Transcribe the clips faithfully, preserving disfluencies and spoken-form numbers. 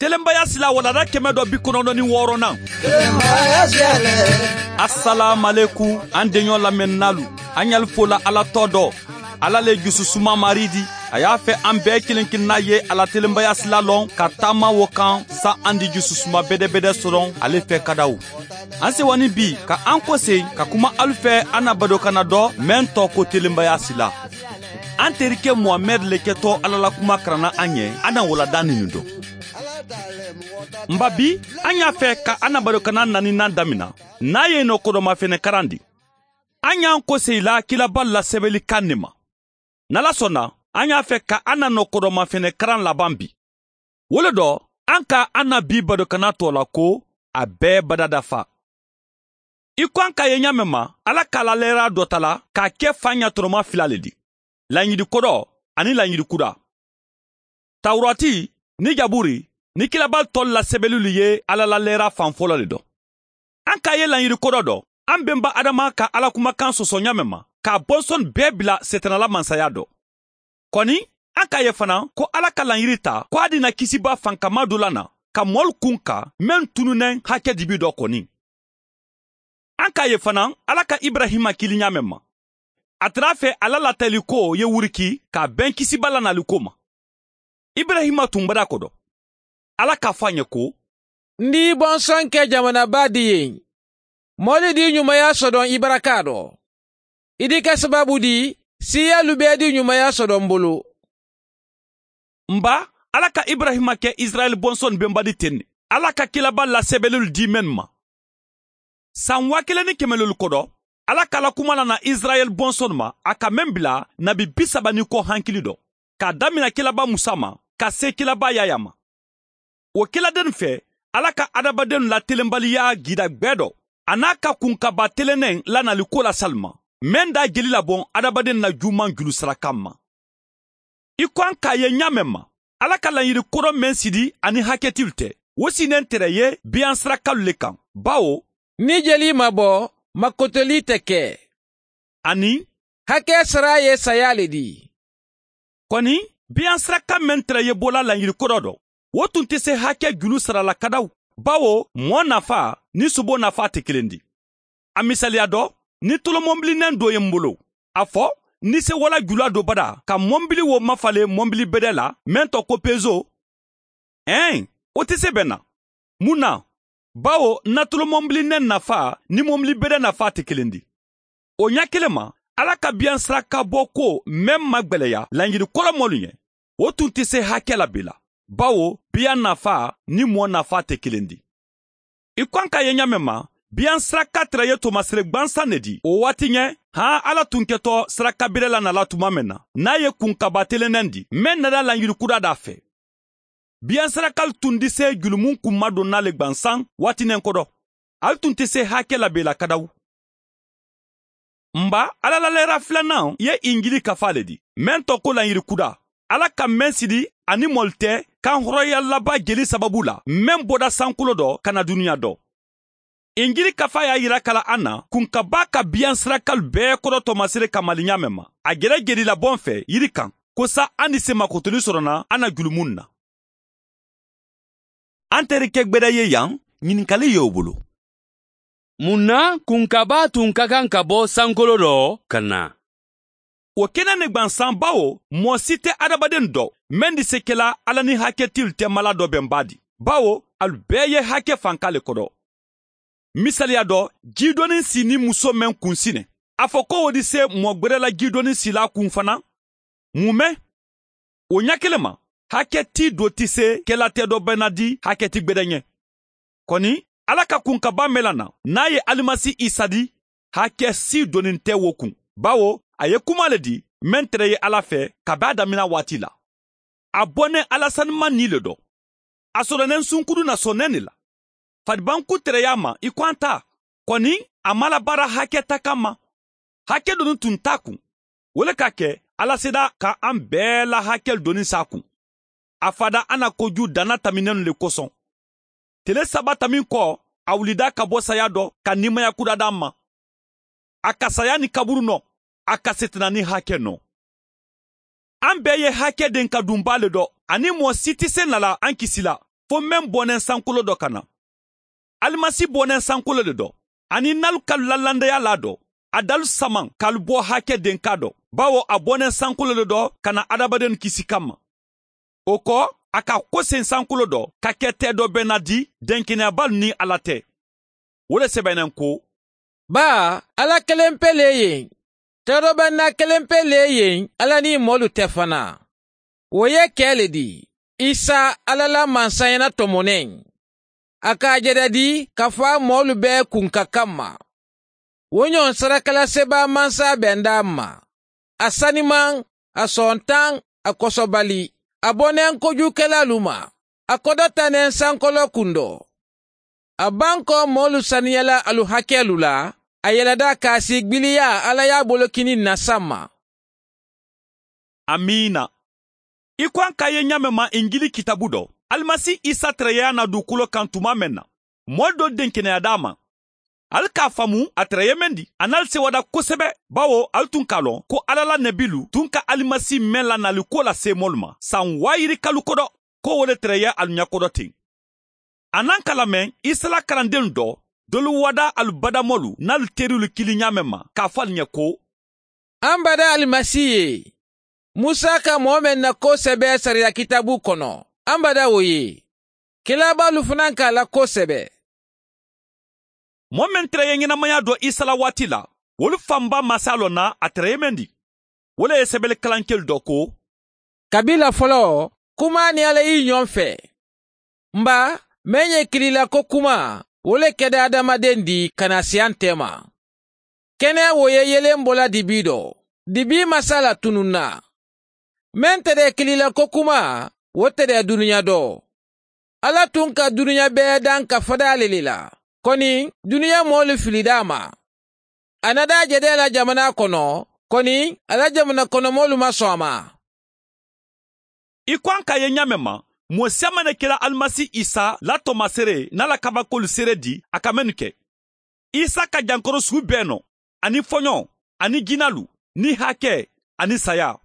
Telenbaya sila walanda kɛmɛ dɔ bi kɔnɔntɔn ni wɔɔrɔnan. Asalaamualekum, an deɲɔ lamɛnninaalu, an y'alu fo la Ala tɔgɔ dɔ. Ala le jususuma Maari di. A y'a fɛ an bɛɛ kelen kelenna ye a la telenbaya sila lɔn ka taama wo kan, sa an di jususuma bedebede sɔrɔ ale fɛ kadaw. An sewa ni bi ka an kosegin ka kuma alu fɛ, an na badokanna dɔ, meŋ tɔgɔ ko telenbaya sila. An terike Muhamɛdi le kɛtɔ Ala la kuma karanna an ye, an na walanda ninnu dɔn. Nba, bi an y'a fɛ ka an na badokanna naaninan damina, n'a ye nɔ kodɔnma fɛnɛ karandi. An y'an kosegin la kiraba lasɛbɛli kan ne ma. N'Ala sɔnna, an y'a fɛ ka an na nɔ kodɔnma fɛnɛ karan laban bi. Wo le dɔ, an ka an na bi badokanna tɔgɔ la ko, a bɛɛ badadafa. I ko an k'a ye ɲa mɛn ma, Ala ka Ala lɛɛra dɔ ta la k'a kɛ fan ɲatɔrɔma fila le di: laɲiri kodɔ ani laɲiri kuda. Tawurati ni jaburi ni kiraba tɔlu lasɛbɛlilu ye Ala la lɛɛra fan fɔlɔ le dɔn. An k'a ye laɲiri kodɔ dɔ, an benba Adama ka Ala kumakan sɔsɔ ɲa mɛn ma, k'a bɔnsɔn bɛɛ bila Setanala mansaya dɔ. Kɔni, an k'a ye fana ko Ala ka laɲiri ta ko a dina kisiba fankama dɔ la na ka mɔlu kun kan, meŋ tununnen hakɛ dibi dɔ kɔni. An k'a ye fana Ala ka Iburahima kili ɲa mɛn ma, a tara a fɛ a la latali ko ye wuriki k'a bɛn kisiba lanaliko ma. Iburahima tun bada ko dɔ. Ala k'a fɔ a ɲɛ ko: N di i bɔnsɔn kɛ jamanaba di yen. Mɔlu di ɲumaya sɔdɔn i baraka dɔ. I di kɛ sababu di siiyalu bɛɛ di ɲumaya sɔdɔn n bolo. N ba, Ala ka Iburahima kɛ Isirayɛli bɔnsɔn benba di ten ne. Ala ka kiraba lasɛbɛlilu di mennu ma. San waa kelen ni kɛmɛ lelu kodɔ, Ala ka Ala kuma nana Isirayɛli bɔnsɔn ma, a ka meŋ bila nabi bi saba ni kɔ hankili dɔ, k'a damina kiraba Musa ma ka se kiraba Yaya ma. Wo kiladennu fɛ, Ala ka hadamadennu la telenbaliya gida gbɛ dɔ, a n'a ka kunkaba telennen lanali ko la sali ma, meŋ da jeli labɔn hadamadennu la juuman julu sarakan ma. I ko an k'a ye ɲa meŋ ma, Ala ka laɲiri kodɔn meŋ sidi ani hakɛtilu tɛ, wo sinnen tɛrɛ ye biyan sirakalu le kan, bawo: Ni jeli ma bɔ, makotoli tɛ kɛ. Ani: Hakɛ sara ye saya le di. Kɔni, biyan siraka meŋ tɛrɛ ye bola laɲiri kodɔ dɔ, wo tun tɛ se hakɛ julu sara la kadaw, bawo mɔɔ nafa ni sobo nafa tɛ kelen di. A misaliya dɔ, ni tolomɔbilineŋ do ye n bolo, a fɔ ni se wala jula do bada ka mɔbili wo mafale mɔbili bɛdɛ la, meŋ tɔgɔ ko pezo. Ɛɛn, wo tɛ se bɛnna. Mun na? Bawo natolomɔbilineŋ nafa ni mɔbili bɛdɛ nafa tɛ kelen di. O ɲa kelen ma, Ala ka biyan siraka bɔ ko meŋ magwɛlɛya laɲiri kodɔn mɔlu ɲɛ, wo tun tɛ se hakɛ la bee la, bawo biyan nafa ni mɔɔ nafa tɛ kelen di. I ko an k'a ye ɲa meŋ ma, biyan siraka tɛrɛ ye tomasere gbansan ne di o waati ɲɛ, han Ala tun kɛtɔ sirakabirɛ la nala tuma meŋ na, n'a ye kunkaba telennen di meŋ nada laɲiri kuda da fɛ. Biyan sirakalu tun di se julumun kun madonna le gbansan waatinen kodɔ. Ali tun tɛ se hakɛ la bee la kadaw. N ba, Ala la lɛɛra filanan ye injili kafa le di, meŋ tɔgɔ ko laɲiri kuda. Ala ka meŋ sidi ani mɔlu tɛ kanhɔrɔnyalaba jeli sababu la, meŋ bɔda sankolo dɔ ka na duniɲa dɔ. Injili kafa y'a yira kala an na kunkaba ka biyan sirakalu bɛɛ kodɔ tomasere kamali ɲa meŋ ma, a gɛrɛ jelilabɔn fɛ yiri kan, ko sa an ni se makotoli sɔrɔna an na julumun na. An terikɛ gbɛdɛ ye yan, ɲininkali y'o bolo. Mun na kunkaba tun ka kan ka bɔ sankolo dɔ ka na? Wo kɛnɛ ne gbansan, bawo mɔɔ si tɛ adamaden dɔ meŋ di se kɛla Ala ni hakɛtilu tɛ mala dɔ bɛnba di, bawo alu bɛɛ ye hakɛ fanka le kodɔ. Misaliya dɔ, jidɔnnin si ni muso meŋ kun sinɛ, a fɔ ko wo di se mɔɔ gberela jidɔnnin sila kun fana. Mun mɛ? Wo ɲa kelen ma, hakɛ ti do ti se kɛla tɛ dɔ bɛnna di hakɛ ti gbɛdɛ ɲɛ. Kɔni, Ala ka kunkaba mɛla na, n'a ye Alimasi Isa di, hakɛ si donnen tɛ wo kun, bawo a ye kuma le di meŋ tɛrɛ ye Ala fɛ kabi a damina waati la. A bɔnnen Ala sanuma ni le dɔ. A sɔrɔnen sunkudu na sɔnnen ne la. Fadibanku tɛrɛya ma i ko an ta. Kɔni, a ma labaara hakɛ takan ma. Hakɛ doni tun t'a kun. Wo le ka kɛ, Ala seda ka an bɛɛ la hakɛ doni s'a kun. A fada an na koju danna taminennu le kosɔn. Tele saba tamin kɔ, a wulida ka bɔ saya dɔ ka nimaya kudada an ma. A ka saya ni kaburu nɔ, a ka setena ni hakɛ nɔ. An bɛɛ ye hakɛ den ka dunba le dɔ, ani mɔɔ si tɛ se nala an kisi la, fo meŋ booneŋ sankoloo do ka na. Alimasi booneŋ sankoloo le do, aniŋ ǹ na alu kalu la landeyaa laa do, a dalu samaŋ ka alu boo hake denkaa do, bawo a booneŋ sankoloo le do ka na hadamadennu kisi kamma. Wo ko, a ka koseŋ sankoloo do ka ke tee do be ǹ na di denkeneyabaalu niŋ alla te. Wo le sebeneŋ ko, baa, alla kelempe le ye n. Tee do be ǹ na kelempe le ye n alla niŋ moolu te fanaa. Wo ye ke le di, isa, alla la mansayaana tomoneŋ. A ka a jada di ka faa moolu bee kunka kamma. Wo ñoŋ sarakala sebaa mansa be n daa ma. A sanimaŋ, a sontaŋ, a kosobali, a boneŋ kojuukelaalu ma. A kodota neŋ sankoloo kundo. A bankoo moolu saniyala alu hakeelu la. A yeleda kaasi gbiliyaa alla ye a bolokini ǹ na samma. Amiina. I ko a ka a ye ñaameŋ ma injili kitaabu do, alimasi isa tarayeya na duukulo kaŋ tumaa meŋ na, moolu doolu denkeneyaata a ma. Ali ka a faamu a taraye meŋ di, a na ali sewada kosebe, bawo ali tun ka a loŋ ko alla la nebilu tun ka alimasi meŋ la naali kuwo la seemoolu ma saŋ waayiri kalu kodo, ko wo le taraye alu ñakodo teŋ. A naŋ ka lameŋ isa la karandennu do, doolu wada alu badamolu niŋ alu teriwolu kili ñaameŋ ma ka a fo ali ñe ko, an bada alimasi ye. Musa ka moo meŋ na koo sebe sariya kitaabu kono, an bada wo ye. Kilaabaalu fanaa ka a la koo sebe. Moo meŋ taraye ñenemayaa do isa la waati la, wolu faŋ baa maasaalu na a taraye meŋ di. Wo le ye sebele kalankelu do ko, kabiila foloo, kumaa niŋ alla ye i ñoŋ fee. M ba, meŋ ye kili la ko kumaa, wo le keda hadamadeŋ di ka naa siyaŋ teema. Kene wo ye yeleŋ bo la dibii do, dibii masaa la tununna. Meŋ tede kili la ko kumaa, wo tede duniya do. Alla tun ka duniya bee daŋ ka fadaa le le la, koni duniya moolu filida a ma. A na daa jede a la jamanaa kono, koni a la jamana kono moolu maŋ soŋ a ma. I ko a ka a ye ñaameŋ ma, moo si a maŋ ne kela alimasi isa la toomaseere niŋ a la kabakoolu seere di a ka mennu ke. Isa ka jankoro suu bee no, aniŋ foñoo, aniŋ jinaalu, niŋ hake, aniŋ sayaa.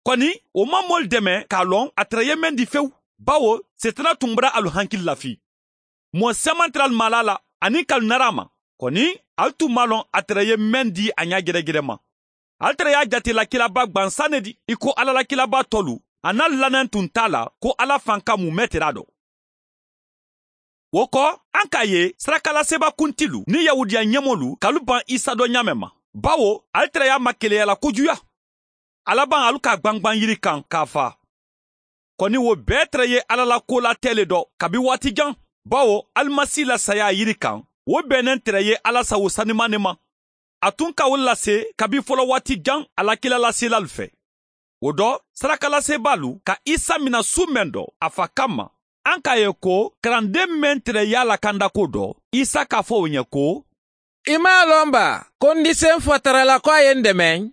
Koni wo maŋ moolu deme ka a loŋ a tara ye meŋ di fewu, bawo seetana tun bara alu hankili lafii. Moo si a maŋ tara alu maalaa la aniŋ ka alu nara a ma. Koni, alu tun maŋ a loŋ a tara ye meŋ di a ñaa geregerema. Alu tara ye a jate la kilaabaa gbansaŋ ne di, i ko alla la kilaabaa tolu, a niŋ alu laneŋ tun te a la ko alla faŋ ka mu meetera do. Wo ko, a ka a ye sarakalaseebaa kuntilu niŋ yahuudiya ñemoolu ka alu baŋ isa do ñaameŋ ma, bawo alu tara ye a makeleya la kojuya. Alabaŋ alu ka a gbangbaŋ yiri kaŋ ka a faa. Koni wo bee tara ye alla la koolaa tee le do kabi waati jaŋ, bawo alimasi la sayaa yiri kaŋ, wo bee neŋ tara ye alla sawo sanimaŋ ne ma. A tun ka wo le lase kabi folowaati jaŋ a la kiilalaselaalu fee. Wo do, sarakalaseebaalu ka isa mina suu meŋ do a fa kamma, a ka a ye ko karandeŋ meŋ tara ye a la kandakoo do, isa ka a fo wo ɲe ko, i maŋ a loŋ ba ko n dise n fa tara la ko a ye n demeŋ?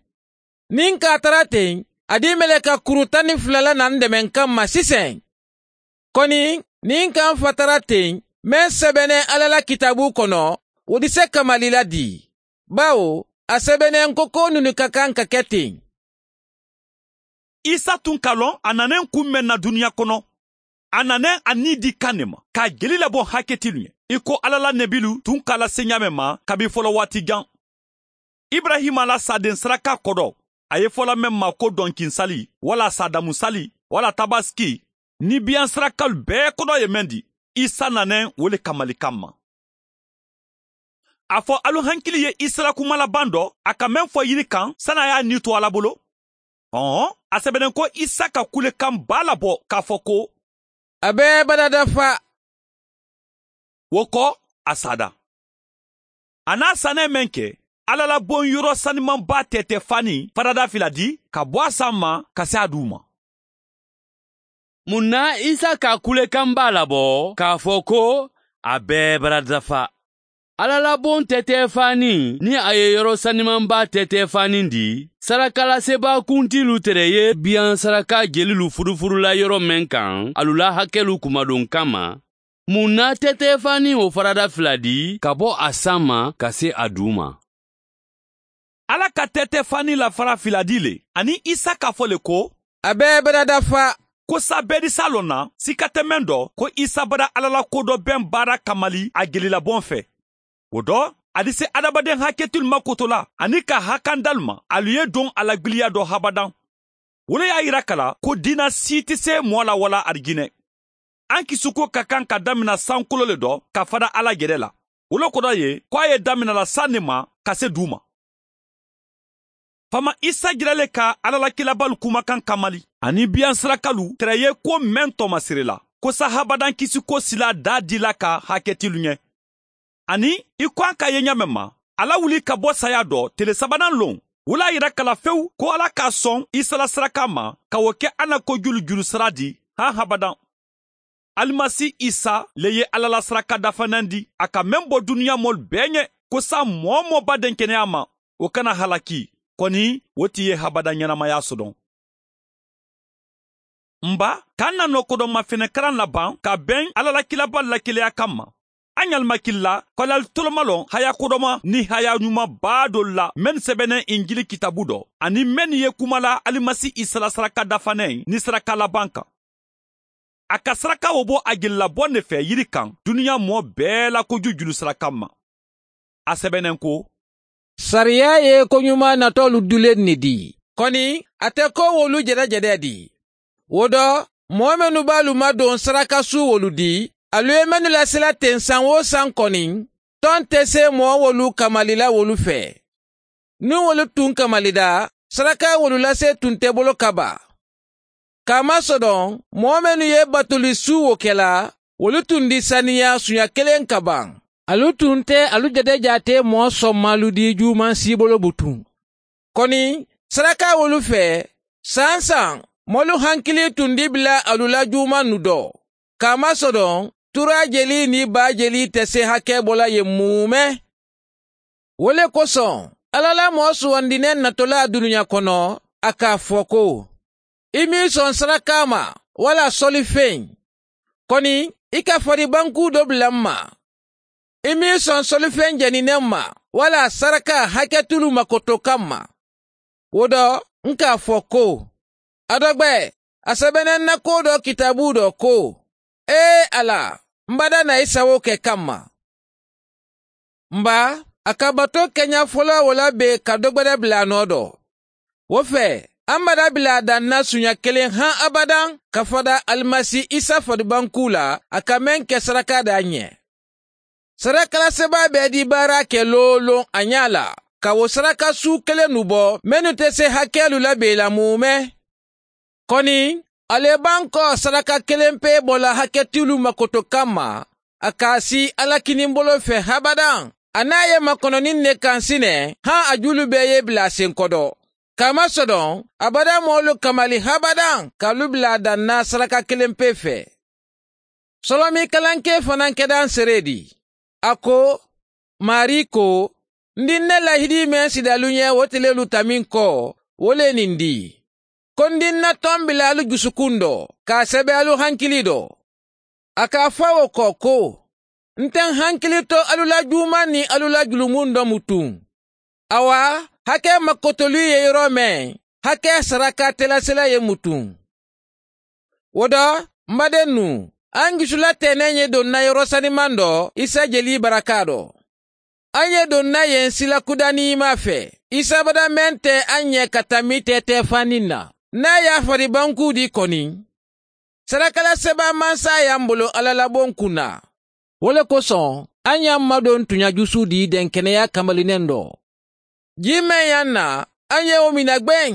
Niŋ n ka a tara teŋ, a di meleka kuru taŋ niŋ fula la na n demeŋ kamma siseŋ. Koni, niŋ n ka n fa tara teŋ, meŋ sebeneŋ alla la kitaabu kono, wo dise kamali la di, bawo a sebeneŋ ko koo nunu ka kaŋ ka ke teŋ. Isa tun ka loŋ a naneŋ kuŋ meŋ na duniya kono, a naneŋ a nii di kaŋ ne ma ka a jeli laboŋ haketilu ɲe, i ko alla la nebilu tun ka a lase ɲaameŋ ma kabi folowaati jaŋ. Iburayima la saadeŋ saraka kodo, a ye fo la meŋ ma ko donkinsali, walla saadamusali, walla tabasiki, nibiyaŋ sarakalu bee kodo ye meŋ di, isa naneŋ wo le kamali kamma. A fo alu hankili ye isa la kuma labaŋ do a ka meŋ fo yiri kaŋ sani a ye a nii to alla bolo? Hɔn, a sebeneŋ ko isa ka kulekaŋ baa labo ka a fo ko, a be barada fa. Wo ko, a saada. A naa sanee meŋ ke, alla la boŋ yoro sanimaŋ baa teetee faaniŋ farada fila di ka bo a saŋ ma ka si a duu ma. Muŋ na isa ka a kulekaŋ baa labo ka a fo ko, a bee barada fa. Alla la boŋ teetee faaniŋ niŋ a ye yoro sanimaŋ baa teetee faaniŋ di, sarakalaseebaa kuntiilu tere ye biyaŋ saraka jelilu furufurula yoro meŋ kaŋ alu la hakelu kumadunkaŋ ma. Muŋ na teetee faaniŋ wo farada fila di ka bo a saŋ ma ka si a duu ma? Alla ka teetee faaniŋ la fara fila di le aniŋ isa ka fo le ko, a be barada fa. Ko saabeedisaa loŋ na sika te meŋ do ko isa bada alla la kodoo beŋ baara kamali a gelilabonŋ fee. Wo do a dise adamadeŋ haketilu makotola aniŋ ka hakandalu ma alu ye duŋ a la gbiliya do habadaŋ. Wo le ye a yira ka la ko diina sii te see moo la walla arijinee. Aŋ kisuko ka kaŋ ka damina sankoloo le do ka fada alla jede la. Wo le kodo ye ko a ye damina la saŋ ne ma ka se duu ma. Faama isa jira le ka alla la kiilabaalu kumakan kamali aniŋ biyaŋ sirakalu tara ye ko meŋ toomasiri la ko sa habadaŋ kisiko silaa daa dii la ka haketilu ɲee. Aniŋ i ko a ka a ye ɲaameŋ ma, alla wuli ka bo saayaa do tele sabanaŋ loŋ. Wo le ye a yira ka la fewu ko alla ka a soŋ isa la sarakaa ma ka wo ke a na kojulu julu sara di. Haa habadaŋ. Alimasi isa le ye alla la saraka dafaneŋ di a ka meŋ bo duniyaa moolu bee ɲee ko saayiŋ moo-wo-moo be a denkeneyaa ma, wo kana halaki. Koni wo ti ye habadaŋ ɲenamayaa sodoŋ. M ba, ka n na noo kodoma fenekaraŋ labaŋ ka beŋ alla la kiilabaalu la keleyaa kamma. A ɲaali ma kili la ko ali toloma loŋ haya kodoma niŋ haya ɲuman baa doolu la mennu sebeneŋ injili kitaabu do aniŋ mennu ye kuma la alimasi isa la saraka dafaneŋ niŋ saraka labaŋ kaŋ. A ka saraka wo bo a jeli la boŋ ne fee yiri kaŋ duniyaa moo bee la kojuu julu saraka ma. A sebeneŋ ko, sariyaa ye koɲumaa natoolu duleŋ ne dii, koni a te ko wolu jede-jede dii. Wo do, moo mennu be alu ma doŋ saraka suuwolu dii alu ye mennu lasila teŋ saŋ-wo-saŋ koni, toŋ te see moo wolu kamali la wolu fee. Niŋ wolu tuŋ kamali daa, saraka wolu lasee tuŋ te bolo ka baa. Kaamaa sodoŋ, moo mennu ye batuli suu wo ke la, wolu tundi saniyaa suɲa keleŋ ka baŋ. Alu tuŋ te alu jete jaatee moo sommaalu dii juumaŋ siibolo butuŋ. Koni, saraka wolu fee, saayiŋ saayiŋ moolu hankilii tundi bila alu la juumaŋ nu do. Kaamaa sodoŋ, turaa jelii niŋ baa jelii te see hakee bo la ye muume. Wo le kosoŋ, alla la moo suwandineŋ natolaa duniyaa kono, a ka a fo ko, i maŋ i soŋ sarakaa ma walla solifeŋ. Koni, i ka faribankuu do bula m ma. I maŋ i soŋ solifeŋ jenineŋ ma walla sarakaa haketulu makoto kamma. Wo do, n ka a fo ko, a dogbe, a sebeneŋ na koo do kitaabuu do ko, ee alla, m bada na i sawoo ke kamma. M ba, a ka batoo keña foloo wo la bee ka dogbede bula a noo do. Wo fee, a m bada bila a daŋ na suña keleŋ haŋ abadaŋ ka fada alimasi isa fadibankuu la a ka meŋ ke sarakaa daa ñe. Sarakalasebaa be dii baaraa ke looloŋ a ñaa la ka wo saraka suu kelennu bo mennu te see hakeelu la bee la muume. Koni, ali ye baŋ ko saraka kelenpee bo la haketulu makoto kamma, a ka a sii alla kiniŋ boloo fee habadaŋ. A naa ye makononiŋ ne kaŋ si ne, haŋ a juulu bee ye bila a senkodo. Kaamaa sodoŋ, a bada moolu kamali habadaŋ ka alu bila a daŋ na saraka kelenpee fee. Solomiikalankee fanaa keda n seree di. A ko, maarii ko, n di n na lahidii meŋ sidi alu ñe wo ti le lu tamiŋ ko, wo le niŋ di, ko n di n na tombilaalu jusukuŋ do ka a sebe alu hankilii do. A ka a fo a wo ko ko, n te n hankilii to alu la juumaŋ niŋ alu la julumundomu tuŋ. Awa, hakee makkotoluu ye yoroo meŋ, hakee sarakaatelasela ye mutuŋ. Wo do, m badennu, aŋ jusu la teeneŋ ye doŋ na yoroo sanimaŋ do isa jelii barakaa do. Aŋ ye doŋ na yen sila kuda niimaa fee, isa bada meŋ te aŋ ñe ka tammi teetee faniŋ na. Niŋ a ye a faribankuu dii koni, sarakalasebaa mansaayaa m bolo alla la boŋ kuŋ na. Wo le kosoŋ, aŋ ye a madoŋ tuña jusu dii denkeneyaa kamalineŋ do. Jii meŋ ye a na, aŋ ye wo mina gbeŋ,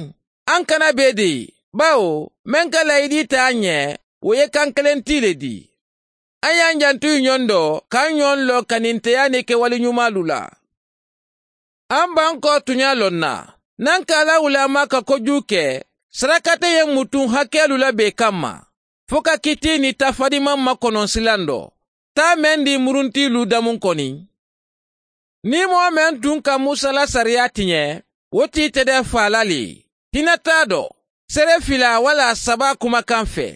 aŋ kana bee dii, bawo meŋ ka layidii taa aŋ ye, wo ye kaŋ keleŋ tii le dii. Aŋ ye aŋ jantu i ñoŋ do ka aŋ ñoŋ loo kaninteyaa niŋ kewali ñumaalu la. Aŋ bankoo tuñaa loŋ na, naŋ ka alla wulaamaa ka kojuu ke, sarakate ye mutuŋ hakeelu la bee kamma, fo ka kitii niŋ tafadimaŋ makonoŋ silaŋ do, taa meŋ dii muruntiiluu damuŋ koni. Niŋ moo meŋ tuŋ ka musa la sariyaa tiñe, wo tii te de faa la le, hinataa do, sere filaa walla sabaa kumakaŋ fee.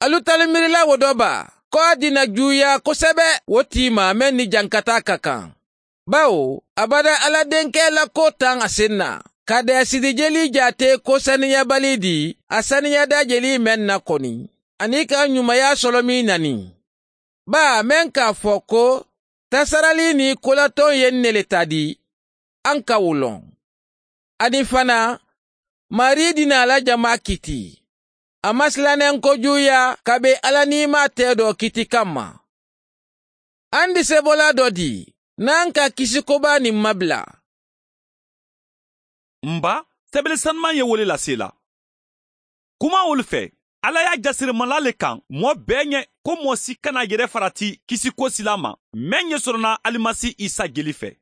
Alu tali miiri la wo do baa, ko a dina juuyaa kosebe wo tii ma meŋ ni jankataa ka kaŋ. Bawo a bada alla denkee la koo taŋ a seŋ na, ka deesidi jelii jaatee ko saniyabali di a saniyada jelii meŋ na koni, aniŋ ka ñumaya solomiŋ nani. Baa meŋ ka a fo ko tasaralii niŋ kolatoŋ ye ǹ ne le tadi, a ǹ ka wo loŋ. Aniŋ fanaa, maarii dinaa la jamaa kiti a maŋ silaneŋ kojuuyaa ka be alla niimaa teedoo kiti kamma. A ǹ diseboola do dii, naŋ ka kisi kobaa niŋ mabila. M ba, sebele sanumaŋ ye wo le lase i la. Kumaŋ wolu fee, alla ye a jasiri mala le kaŋ moo bee ñe, ko moo si kana a yere farati kisi ko silaa ma, meŋ ye sorona alimasi isa jeli fee.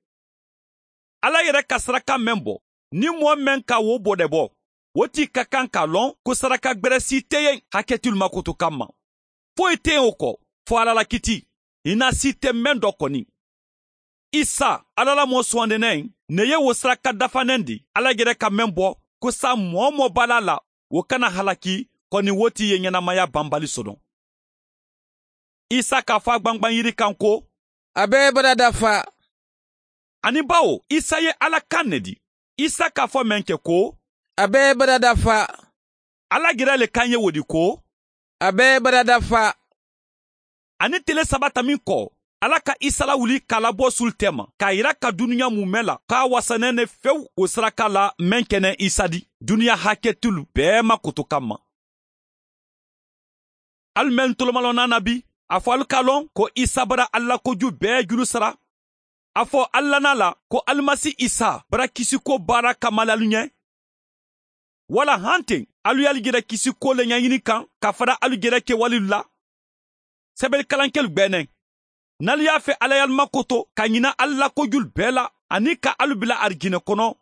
Alla yere ka saraka meŋ bo, niŋ moo meŋ ka wo bodebo, wo tii ka kaŋ ka a loŋ ko saraka gbere si te yeŋ haketulu makutu kamma. Foyi te yeŋ wo ko, fo alla la kiti, i na si te meŋ do koni. Isa, alla la moo suwandinaŋ ne ye wo saraka dafaneŋ di alla yere ka meŋ bo, ko saayiŋ moo-wo-moo be a la a la, wo kana halaki, koni wo tii ye ñenamaya banbali sono. Isa ka a fo a gbangbaŋ yiri kaŋ ko, a be i barada fa. Aniŋ bawo isa ye alla kaŋ ne di, isa ka a fo meŋ ke ko, a be i barada fa. Alla gera le kaŋ ye wo di ko, a be i barada fa. Aniŋ tele saba taminko, alla ka isa lawuli ka a labo sulu teema ka a yira ka duniya muumee la ko a wasanaŋ ne fewu wo saraka la meŋ ke ne isa di duniya haketulu bee ma koto kamma. Alu mennu tolomalonaa na bi, a fo alu ka a loŋ ko isa bara alla la koju bee julu sara. A fo alu lana a la ko alimasi isa bara kisiko baara kamali alu ñe. Wala hanteŋ, alu ye alu jere kisiko le ñañini kaŋ ka fara alu jere kewalilu la. Sebele kalankelu gbeeneŋ, niŋ alu ye a fee alla ye alu makoto ka ñina alla la kojulu bee la, aniŋ ka alu bila arijinna kono,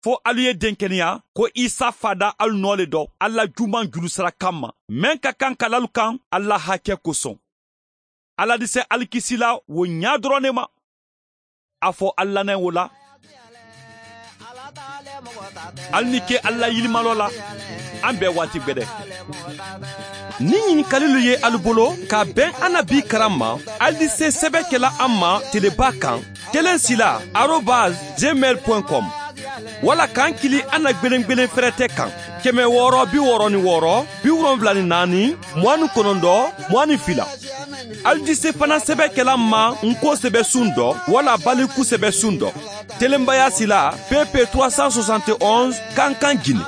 fo alu ye denkeneya ko isa faada alu noo le do alla la juumaŋ julu sara kamma, meŋ ka kaŋ ka la alu kaŋ alla la hake kosoŋ. Alla dise alikisila wo ñaa doroŋ ne ma. A fo alu lanaŋ wo la. Alu ni ke alu la yilimaloo la. Aŋ bee waati gbede. Niŋ ñinikalilu ye alu bolo ka a beŋ a na bii karaŋ ma, alu di se sebe ke la a ma telebaa kaŋ, keleŋ sila arobas gmail point com. Walla ka aŋ kili a na gbeleŋ gbeleŋ ferete kaŋ, keme wooro bi wooro ni wooro bi wolonwula ni naani, muwaŋ ni konondoo, muwaŋ ni fila. Alu di se fanaŋ sebe ke la a ma ǹ ko sebe suŋ do walla baliku sebe suŋ do. Telenbaya sila, pp trois cent soixante et onze, kankan gine.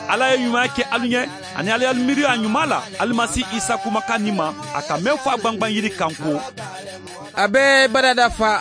Alla ye ñumaya ke alu ñe, aniŋ alla ye alu miiriyo a ñumaa la alimasi isa kumakaŋ ni ma, a ka meŋ fo a gbangbaŋ yiri kaŋ ko, a be i barada fa.